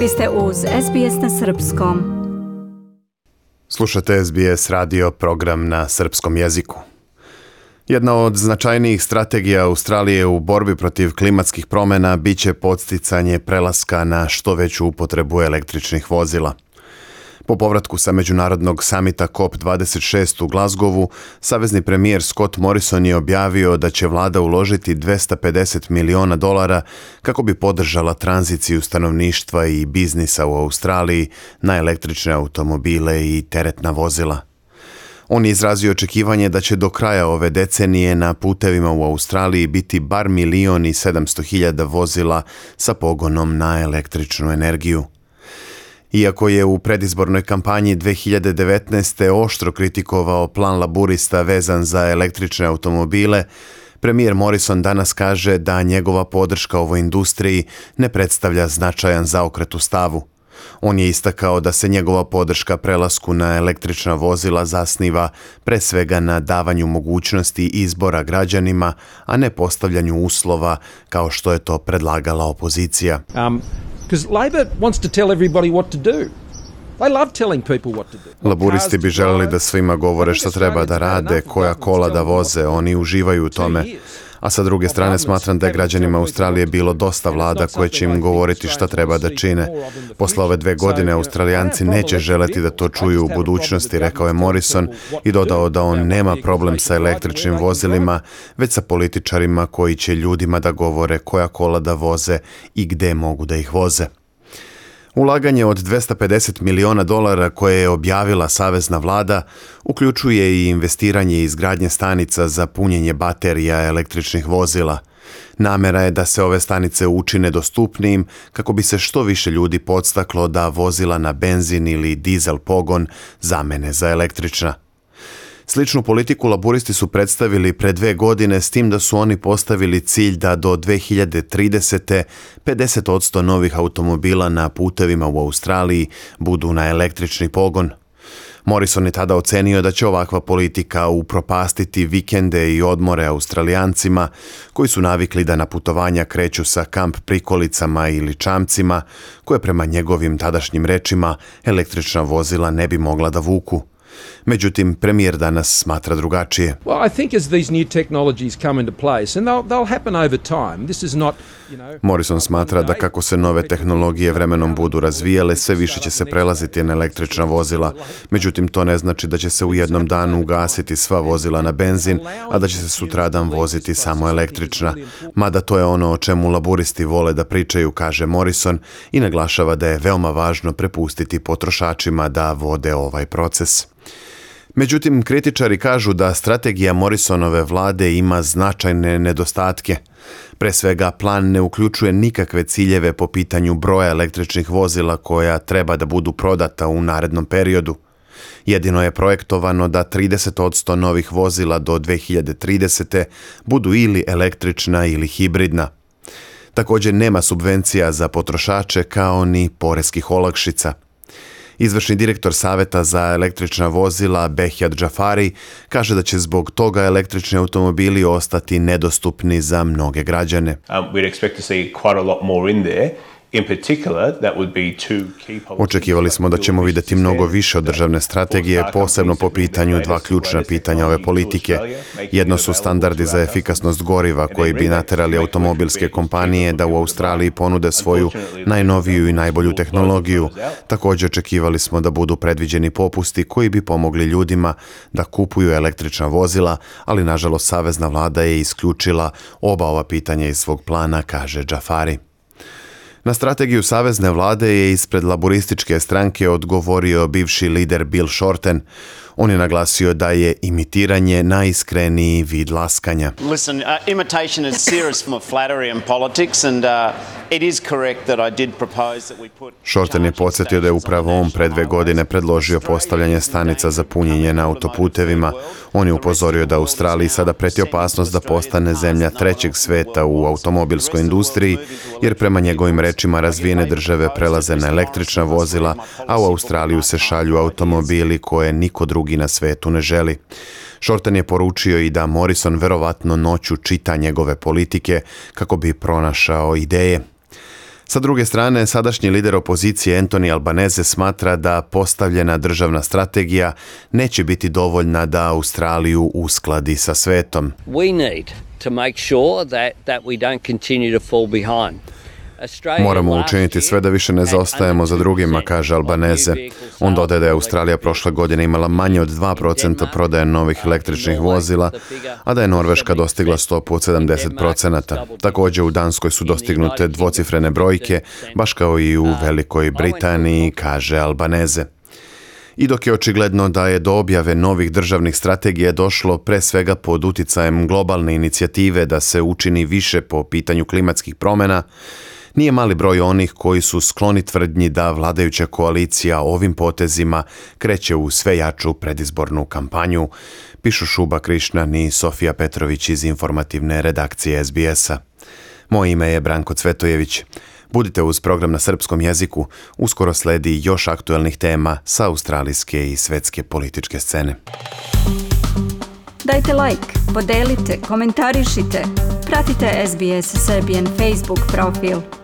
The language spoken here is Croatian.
Vi ste uz SBS na Srpskom. Slušate SBS radio, program na srpskom jeziku. Jedna od značajnijih strategija Australije u borbi protiv klimatskih promjena biće podsticanje prelaska na što veću upotrebu električnih vozila. Po povratku sa međunarodnog samita COP26 u Glasgowu, savezni premijer Scott Morrison je objavio da će vlada uložiti $250 miliona kako bi podržala tranziciju stanovništva i biznisa u Australiji na električne automobile i teretna vozila. On je izrazio očekivanje da će do kraja ove decenije na putevima u Australiji biti bar 1.700.000 vozila sa pogonom na električnu energiju. Iako je u predizbornoj kampanji 2019. oštro kritikovao plan laburista vezan za električne automobile, premijer Morrison danas kaže da njegova podrška ovoj industriji ne predstavlja značajan zaokret u stavu. On je istakao da se njegova podrška prelasku na električna vozila zasniva pre svega na davanju mogućnosti izbora građanima, a ne postavljanju uslova kao što je to predlagala opozicija. Because Labor wants to tell everybody what to do. They love telling people what to do. Laburisti bi želeli da svima govore šta treba da rade, koja kola da voze, oni uživaju u tome. A sa druge strane smatram da je građanima Australije bilo dosta vlada koje će im govoriti šta treba da čine. Posle ove 2 godine Australijanci neće želeti da to čuju u budućnosti, rekao je Morrison i dodao da on nema problem sa električnim vozilima, već sa političarima koji će ljudima da govore koja kola da voze i gde mogu da ih voze. Ulaganje od $250 miliona koje je objavila savezna vlada uključuje i investiranje i izgradnje stanica za punjenje baterija električnih vozila. Namera je da se ove stanice učine dostupnijim kako bi se što više ljudi podstaklo da vozila na benzin ili dizel pogon zamene za električna. Sličnu politiku laburisti su predstavili pre 2 godine, s tim da su oni postavili cilj da do 2030. 50% novih automobila na putevima u Australiji budu na električni pogon. Morrison je tada ocenio da će ovakva politika upropastiti vikende i odmore Australijancima koji su navikli da na putovanja kreću sa kamp prikolicama ili čamcima koje prema njegovim tadašnjim rečima električna vozila ne bi mogla da vuku. Međutim, premijer danas smatra drugačije. Well, I think as these new technologies come into place, and they'll happen over time. This is not, Morrison smatra da kako se nove tehnologije vremenom budu razvijale, sve više će se prelaziti na električna vozila. Međutim, to ne znači da će se u jednom danu ugasiti sva vozila na benzin, a da će se sutradan voziti samo električna. Mada to je ono o čemu laburisti vole da pričaju, kaže Morrison, i naglašava da je veoma važno prepustiti potrošačima da vode ovaj proces. Međutim, kritičari kažu da strategija Morrisonove vlade ima značajne nedostatke. Pre svega, plan ne uključuje nikakve ciljeve po pitanju broja električnih vozila koja treba da budu prodata u narednom periodu. Jedino je projektovano da 30% novih vozila do 2030. budu ili električna ili hibridna. Također nema subvencija za potrošače kao ni poreskih olakšica. Izvršni direktor Saveta za električna vozila Behjad Jafari kaže da će zbog toga električni automobili ostati nedostupni za mnoge građane. Očekivali smo da ćemo vidjeti mnogo više od državne strategije, posebno po pitanju 2 ključna pitanja ove politike. Jedno su standardi za efikasnost goriva koji bi naterali automobilske kompanije da u Australiji ponude svoju najnoviju i najbolju tehnologiju. Također očekivali smo da budu predviđeni popusti koji bi pomogli ljudima da kupuju električna vozila, ali nažalost savezna vlada je isključila oba ova pitanja iz svog plana, kaže Jafari. Na strategiju savezne vlade je ispred laburističke stranke odgovorio bivši lider Bill Shorten. On je naglasio da je imitiranje najiskreniji vid laskanja. Listen, imitation is serious form of flattery in politics and it is correct that I did propose that we put... Shorten je podsjetio da je upravo on pre 2 godine predložio postavljanje stanica za punjenje na autoputevima. On je upozorio da Australiji sada preti opasnost da postane zemlja 3. sveta u automobilskoj industriji, jer prema njegovim rečima razvijene države prelaze na električna vozila, a u Australiju se šalju automobili koje niko drugi na svetu ne želi. Shorten je poručio i da Morrison verovatno noću čita njegove politike kako bi pronašao ideje. Sa druge strane, sadašnji lider opozicije Anthony Albanese smatra da postavljena državna strategija neće biti dovoljna da Australiju uskladi sa svetom. We need to make sure that we don't continue to fall behind. Moramo učiniti sve da više ne zaostajemo za drugima, kaže Albanese. On dodaje da je Australija prošle godine imala manje od 2% prodaje novih električnih vozila, a da je Norveška dostigla stopu od 70%. Također u Danskoj su dostignute dvocifrene brojke, baš kao i u Velikoj Britaniji, kaže Albanese. I dok je očigledno da je do objave novih državnih strategija došlo pre svega pod uticajem globalne inicijative da se učini više po pitanju klimatskih promjena, nije mali broj onih koji su skloni tvrdnji da vladajuća koalicija ovim potezima kreće u sve jaču predizbornu kampanju, pišu Šuba Krišnan i Sofija Petrović iz informativne redakcije SBS-a. Moje ime je Branko Cvetojević. Budite uz program na srpskom jeziku, uskoro sledi još aktuelnih tema sa australijske i svetske političke scene. Dajte like, podelite, komentarišite. Pratite SBS Serbian Facebook profil.